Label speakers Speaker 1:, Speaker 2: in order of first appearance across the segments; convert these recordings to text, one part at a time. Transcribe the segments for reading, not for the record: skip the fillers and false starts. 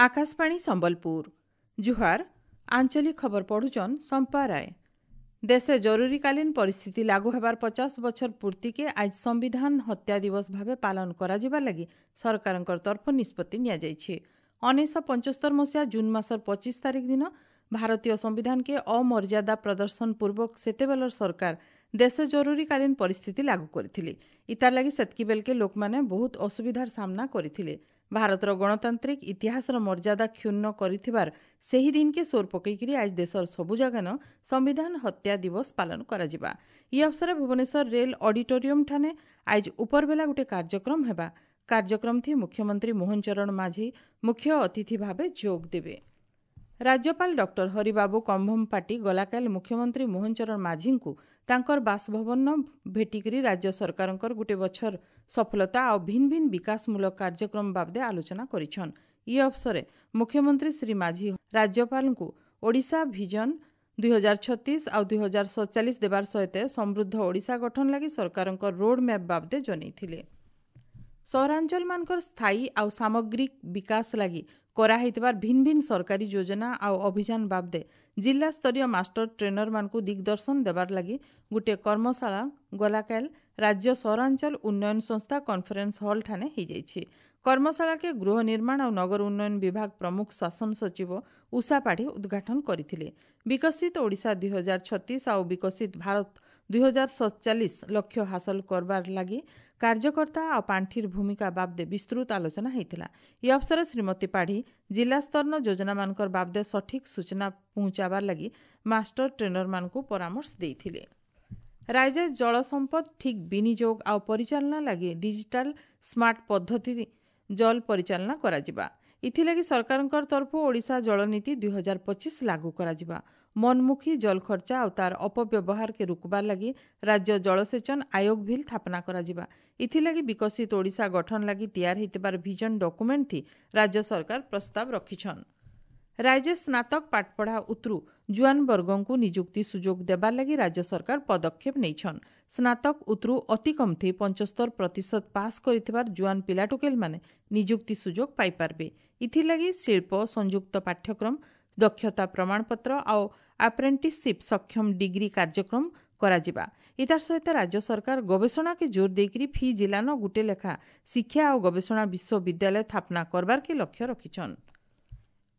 Speaker 1: ଆକାଶବାଣୀ ସମ୍ବଲପୁର। ଜୁହାର। ଆଞ୍ଚଳିକ ଖବର ପଢୁଛନ୍ ସମ୍ପା ରାୟ। ଦେଶେ ଜରୁରୀକାଳୀନ ପରିସ୍ଥିତି ଲାଗୁ ହେବାର 50 ବଛର ପୂର୍ତ୍ତିକେ ଆଜ ସମ୍ବିଧାନ ହତ୍ୟା ଦିବସ ଭାବେ ପାଳନ କରାଯିବା ଲାଗି ସରକାରଙ୍କର ତରଫ ନିଷ୍ପତ୍ତି ନିଆଯାଇଛି। 1975 ମସିହା ଜୁନ୍ ମାସର 25 ତାରିଖ ଦିନ ଭାରତୀୟ ସମ୍ବିଧାନକେ ଅମର୍ଯ୍ୟାଦା ପ୍ରଦର୍ଶନ ପୂର୍ବକ ସେତେବେଳର ସରକାର ଦେଶେ ଜରୁରୀକାଳୀନ ପରିସ୍ଥିତି ଲାଗୁ କରିଥିଲେ। ଇତାର ଲାଗି ସେତ୍କି ବେଲକେ ଲୋକମାନେ ବହୁତ ଅସୁବିଧାର ସାମ୍ନା କରିଥିଲେ। ଭାରତର ଗଣତାନ୍ତ୍ରିକ ଇତିହାସର ମର୍ଯ୍ୟାଦା କ୍ଷୁଣ୍ଣ କରିଥିବାର ସେହି ଦିନକେ ସୋର ପକେଇକିରି ଆଜ ଦେଶର ସବୁ ଜାଗାନ ସମ୍ବିଧାନ ହତ୍ୟା ଦିବସ ପାଳନ କରାଯିବା। ଇ ଅବସରେ ଭୁବନେଶ୍ୱର ରେଲ୍ ଅଡିଟୋରିୟମ ଠାନେ ଆଜ ଉପରବେଲା ଗୋଟେ କାର୍ଯ୍ୟକ୍ରମ ହେବା। କାର୍ଯ୍ୟକ୍ରମ ଥି ମୁଖ୍ୟମନ୍ତ୍ରୀ ମୋହନ ଚରଣ ମାଝୀ ମୁଖ୍ୟ ଅତିଥି ଭାବେ ଯୋଗ ଦେବେ। ରାଜ୍ୟପାଳ ଡକ୍ଟର ହରିବାବୁ କମ୍ଭମପାଟି ଗଲାକାଲି ମୁଖ୍ୟମନ୍ତ୍ରୀ ମୋହନ ଚରଣ ମାଝୀଙ୍କୁ ତାଙ୍କର ବାସଭବନ ଭେଟିକରି ରାଜ୍ୟ ସରକାରଙ୍କର ଗୋଟେ ବଛର ସଫଳତା ଆଉ ଭିନ୍ନ ଭିନ୍ନ ବିକାଶମୂଳକ କାର୍ଯ୍ୟକ୍ରମ ବାବଦେ ଆଲୋଚନା କରିଛନ୍। ଇ ଅବସରେ ମୁଖ୍ୟମନ୍ତ୍ରୀ ଶ୍ରୀ ମାଝୀ ରାଜ୍ୟପାଳଙ୍କୁ ଓଡ଼ିଶା ଭିଜନ 2036 ଆଉ 2047 ଦେବାର ସହିତ ସମୃଦ୍ଧ ଓଡ଼ିଶା ଗଠନ ଲାଗି ସରକାରଙ୍କ ରୋଡ୍ ମ୍ୟାପ୍ ବାବଦେ ଜଣାଇଥିଲେ। ସହରାଞ୍ଚଳମାନଙ୍କର ସ୍ଥାୟୀ ଆଉ ସାମଗ୍ରିକ ବିକାଶ ଲାଗି କରାହେଇଥିବାର ଭିନ୍ନ ଭିନ୍ନ ସରକାରୀ ଯୋଜନା ଆଉ ଅଭିଯାନ ବାବଦେ ଜିଲ୍ଲାସ୍ତରୀୟ ମାଷ୍ଟର ଟ୍ରେନରମାନଙ୍କୁ ଦିଗ୍ଦର୍ଶନ ଦେବାର ଲାଗି ଗୋଟିଏ କର୍ମଶାଳା ଗଲାକାଲ ରାଜ୍ୟ ସହରାଞ୍ଚଳ ଉନ୍ନୟନ ସଂସ୍ଥା କନଫରେନ୍ସ ହଲ୍ ଠାନେ ହେଇଯାଇଛି। କର୍ମଶାଳାକେ ଗୃହ ନିର୍ମାଣ ଆଉ ନଗର ଉନ୍ନୟନ ବିଭାଗ ପ୍ରମୁଖ ଶାସନ ସଚିବ ଉଷା ପାଢ଼ୀ ଉଦ୍ଘାଟନ କରିଥିଲେ। ବିକଶିତ ଓଡ଼ିଶା 2036 ଆଉ ବିକଶିତ ଭାରତ 2047 ଲକ୍ଷ୍ୟ ହାସଲ କରବାର ଲାଗି କାର୍ଯ୍ୟକର୍ତ୍ତା ଆଉ ପାଣ୍ଠିର ଭୂମିକା ବାବଦେ ବିସ୍ତୃତ ଆଲୋଚନା ହେଇଥିଲା। ଇ ଅବସରେ ଶ୍ରୀମତୀ ପାଢ଼ୀ ଜିଲ୍ଲାସ୍ତରର ଯୋଜନାମାନଙ୍କର ବାବଦେ ସଠିକ୍ ସୂଚନା ପହଞ୍ଚାବାର ଲାଗି ମାଷ୍ଟର ଟ୍ରେନରମାନଙ୍କୁ ପରାମର୍ଶ ଦେଇଥିଲେ। ରାଜ୍ୟ ଜଳ ସମ୍ପଦ ଠିକ୍ ବିନିଯୋଗ ଆଉ ପରିଚାଳନା ଲାଗି ଡିଜିଟାଲ ସ୍ମାର୍ଟ ପଦ୍ଧତି ଜଳ ପରିଚାଳନା କରାଯିବା। ଏଥିଲାଗି ସରକାରଙ୍କର ତରଫରୁ ଓଡ଼ିଶା ଜଳନୀତି 2025 ଲାଗୁ କରାଯିବା। ମନମୁଖୀ ଜଳ ଖର୍ଚ୍ଚା ଆଉ ତାର ଅପବ୍ୟବହାରକେ ରୋକବାର ଲାଗି ରାଜ୍ୟ ଜଳସେଚନ ଆୟୋଗ ଭିଲ୍ ସ୍ଥାପନା କରାଯିବା। ଏଥିଲାଗି ବିକଶିତ ଓଡ଼ିଶା ଗଠନ ଲାଗି ତିଆର ହେଇଥିବାର ଭିଜନ ଡକୁମେଣ୍ଟ ଥି ରାଜ୍ୟ ସରକାର ପ୍ରସ୍ତାବ ରଖିଛନ୍। ରାଜ୍ୟ ସ୍ନାତକ ପାଠପଢ଼ା ଉତରୁ ଜୁଆନ ବର୍ଗଙ୍କୁ ନିଯୁକ୍ତି ସୁଯୋଗ ଦେବାର ଲାଗି ରାଜ୍ୟ ସରକାର ପଦକ୍ଷେପ ନେଇଛନ୍। ସ୍ନାତକ ଉତରୁ ଅତି କମ୍ ଥି 75% ପାସ୍ କରିଥିବାର ଜୁଆନ ପିଲାଟୁକେଲମାନେ ନିଯୁକ୍ତି ସୁଯୋଗ ପାଇପାରିବେ। ଏଥିଲାଗି ଶିଳ୍ପ ସଂଯୁକ୍ତ ପାଠ୍ୟକ୍ରମ, ଦକ୍ଷତା ପ୍ରମାଣପତ୍ର ଆଉ ଆପ୍ରେଣ୍ଟିସସିପ୍ ସକ୍ଷମ ଡିଗ୍ରୀ କାର୍ଯ୍ୟକ୍ରମ କରାଯିବା। ଇତାର ସହିତ ରାଜ୍ୟ ସରକାର ଗବେଷଣାକେ ଜୋର ଦେଇକରି ଫି ଜିଲ୍ଲାନ ଗୁଟେ ଲେଖା ଶିକ୍ଷା ଆଉ ଗବେଷଣା ବିଶ୍ୱବିଦ୍ୟାଳୟ ସ୍ଥାପନା କରବାରକେ ଲକ୍ଷ୍ୟ ରଖିଛନ୍।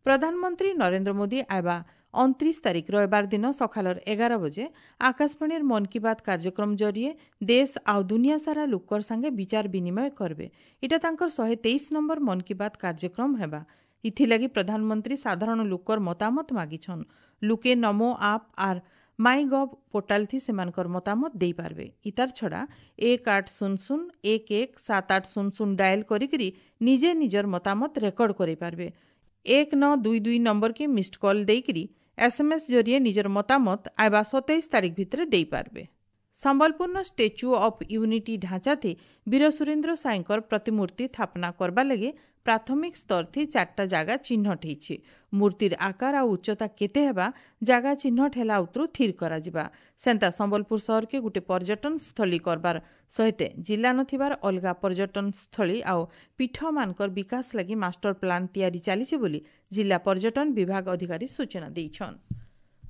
Speaker 1: ପ୍ରଧାନମନ୍ତ୍ରୀ ନରେନ୍ଦ୍ର ମୋଦି ଆଇବା 29 ତାରିଖ ରବିବାର ଦିନ ସକାଳର 11 ବଜେ ଆକାଶବାଣୀର ମନ୍ କି ବାତ୍ କାର୍ଯ୍ୟକ୍ରମ ଜରିଏ ଦେଶ ଆଉ ଦୁନିଆ ସାରା ଲୋକର ସାଙ୍ଗେ ବିଚାର ବିନିମୟ କରିବେ। ଏଇଟା ତାଙ୍କର 123 ନମ୍ବର ମନ୍ କି ବାତ୍ କାର୍ଯ୍ୟକ୍ରମ ହେବା। ଇଥିଲାଗି ପ୍ରଧାନମନ୍ତ୍ରୀ ସାଧାରଣ ଲୋକର ମତାମତ ମାଗିଛନ୍। ଲୁକେ ନମୋ ଆପ୍ ଆର୍ ମାଇ ଗଭ୍ ପୋର୍ଟାଲ ଥି ସେମାନଙ୍କର ମତାମତ ଦେଇପାରିବେ। ଇତାର ଛଡ଼ା 1800 11 7800 ଡାଏଲ କରିକିରି ନିଜେ ନିଜର ମତାମତ ରେକର୍ଡ କରିପାରିବେ। 1922 ନମ୍ବରକେ ମିସ୍ଡ କଲ୍ ଦେଇକିରି ଏସ୍ଏମ୍ଏସ୍ ଜରିଏ ନିଜର ମତାମତ ଆଇବା 27 ତାରିଖ ଭିତରେ ଦେଇପାରିବେ। ସମ୍ବଲପୁରର ଷ୍ଟାଚ୍ୟୁ ଅଫ୍ ୟୁନିଟି ଢାଞ୍ଚାଥି ବୀର ସୁରେନ୍ଦ୍ର ସାଏଙ୍କର ପ୍ରତିମୂର୍ତ୍ତି ସ୍ଥାପନା କରବା ଲାଗି ପ୍ରାଥମିକ ସ୍ତର ଥି 4ଟା ଜାଗା ଚିହ୍ନଟ ହେଇଛି। ମୂର୍ତ୍ତିର ଆକାର ଆଉ ଉଚ୍ଚତା କେତେ ହେବା ଜାଗା ଚିହ୍ନଟ ହେଲା ଉତରୁ ଥିର କରାଯିବା। ସେନ୍ତା ସମ୍ବଲପୁର ସହରକେ ଗୋଟେ ପର୍ଯ୍ୟଟନ ସ୍ଥଳୀ କରବାର ସହିତ ଜିଲ୍ଲା ନଥିବାର ଅଲଗା ପର୍ଯ୍ୟଟନ ସ୍ଥଳୀ ଆଉ ପୀଠମାନଙ୍କର ବିକାଶ ଲାଗି ମାଷ୍ଟର ପ୍ଲାନ୍ ତିଆରି ଚାଲିଛି ବୋଲି ଜିଲ୍ଲା ପର୍ଯ୍ୟଟନ ବିଭାଗ ଅଧିକାରୀ ସୂଚନା ଦେଇଛନ୍।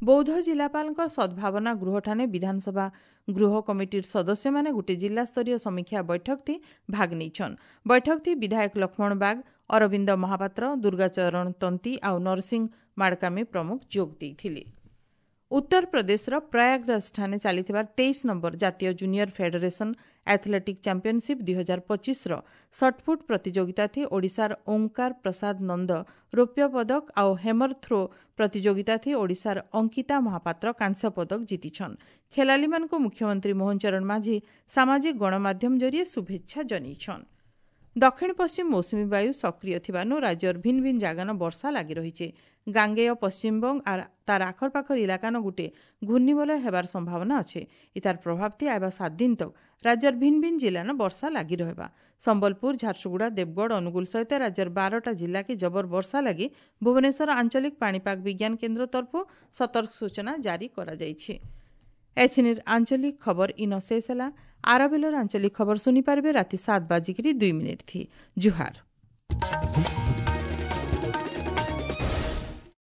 Speaker 1: ବୌଦ୍ଧ ଜିଲ୍ଲାପାଳଙ୍କର ସଦ୍ଭାବନା ଗୃହଠାନେ ବିଧାନସଭା ଗୃହ କମିଟିର ସଦସ୍ୟମାନେ ଗୋଟେ ଜିଲ୍ଲାସ୍ତରୀୟ ସମୀକ୍ଷା ବୈଠକ ଥି ଭାଗ ନେଇଛନ୍। ବୈଠକ ଥି ବିଧାୟକ ଲକ୍ଷ୍ମଣ ବାଗ, ଅରବିନ୍ଦ ମହାପାତ୍ର, ଦୁର୍ଗାଚରଣ ତନ୍ତି ଆଉ ନରସିଂହ ମାଡ଼କାମୀ ପ୍ରମୁଖ ଯୋଗ ଦେଇଥିଲେ। ଉତ୍ତରପ୍ରଦେଶର ପ୍ରୟାଗରାଜଠାରେ ଚାଲିଥିବାର 23 ନମ୍ବର ଜାତୀୟ ଜୁନିୟର ଫେଡେରେସନ ଆଥଲେଟିକ୍ ଚାମ୍ପିୟନସିପ୍ 2025ର ସଟ୍ପୁଟ୍ ପ୍ରତିଯୋଗିତା ଥି ଓଡ଼ିଶାର ଓଙ୍କାର ପ୍ରସାଦ ନନ୍ଦ ରୌପ୍ୟ ପଦକ ଆଉ ହେମର ଥ୍ରୋ ପ୍ରତିଯୋଗିତା ଥି ଓଡ଼ିଶାର ଅଙ୍କିତା ମହାପାତ୍ର କାଂସ୍ୟ ପଦକ ଜିତିଛନ୍। ଖେଳାଳିମାନଙ୍କୁ ମୁଖ୍ୟମନ୍ତ୍ରୀ ମୋହନ ଚରଣ ମାଝୀ ସାମାଜିକ ଗଣମାଧ୍ୟମ ଜରିଏ ଶୁଭେଚ୍ଛା ଜଣାଇଛନ୍। ଦକ୍ଷିଣ ପଶ୍ଚିମ ମୌସୁମୀ ବାୟୁ ସକ୍ରିୟ ଥିବାରୁ ରାଜ୍ୟର ଭିନ୍ନ ଭିନ୍ନ ଜାଗାନ ବର୍ଷା ଲାଗି ରହିছে। ଗାଙ୍ଗେୟ ପଶ୍ଚିମବଙ୍ଗ ଆର୍ ତାର ଆଖରପାଖର ଇଲାକାନ ଗୁଟେ ଘୂର୍ଣ୍ଣିବଳୟ ହେବାର ସମ୍ଭାବନା ଅଛେ। ଇତାର ପ୍ରଭାବ ଥି ଆଇବା 7 ଦିନ ତକ ରାଜ୍ୟର ଭିନ୍ନ ଭିନ୍ନ ଜିଲ୍ଲାନ ବର୍ଷା ଲାଗି ରହିବା। ସମ୍ବଲପୁର, ଝାରସୁଗୁଡ଼ା, ଦେବଗଡ଼, ଅନୁଗୁଳ ସହିତ ରାଜ୍ୟର 12ଟା ଜିଲ୍ଲାକେ ଜବର ବର୍ଷା ଲାଗି ଭୁବନେଶ୍ୱର ଆଞ୍ଚଳିକ ପାଣିପାଗ ବିଜ୍ଞାନ କେନ୍ଦ୍ର ତରଫରୁ ସତର୍କ ସୂଚନା ଜାରି କରାଯାଇଛି। ଏଛିନିର ଆଞ୍ଚଳିକ ଖବର ଇନ ଶେଷ ହେଲା। ଆରବେଲର ଆଞ୍ଚଳିକ ଖବର ଶୁଣିପାରିବେ ରାତି 7:02 ଥି। ଜୁହାର।